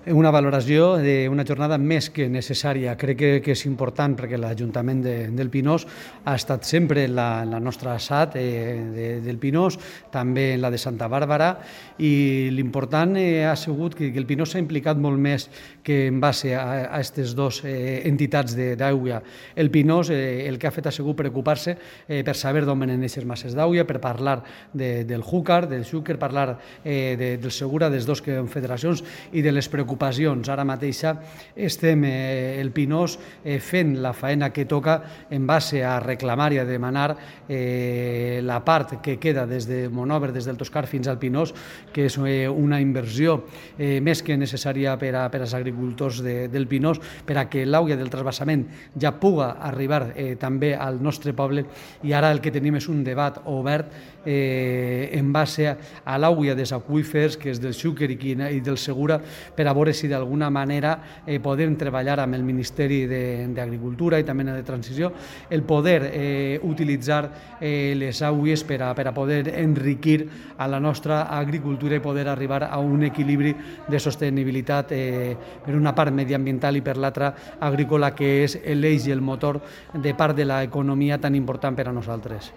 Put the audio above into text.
Una valoració d'una jornada més que necessària. Crec que és important perquè l'Ajuntament del Pinós ha estat sempre en la nostra SAT del Pinós, també en la de Santa Bàrbara, i l'important ha sigut que el Pinós s'ha implicat molt més que en base a aquestes dues entitats d'aigua. El Pinós el que ha fet ha sigut preocupar-se per saber d'on venen aquestes masses d'aigua, per parlar del Júcar, del Xúquer, parlar del Segura, de les dues confederacions i de les preocupacions. Ara mateix estem el Pinós fent la faena que toca en base a reclamar i a demanar la part que queda des de Monòver, des del Toscar fins al Pinós, que és una inversió més que necessària per als agricultors del Pinós, per a que l'aigua del transvasament ja puga arribar també al nostre poble, i ara el que tenim és un debat obert en base a l'aigua dels aqüífers, que és del Xúquer i del Segura, per a veure si d'alguna manera podem treballar amb el Ministeri d'Agricultura i també de Transició, el poder utilitzar les aigües per a poder enriquir a la nostra agricultura i poder arribar a un equilibri de sostenibilitat per una part mediambiental i per l'altra agrícola, que és l'eix i el motor de part de l'economia tan important per a nosaltres.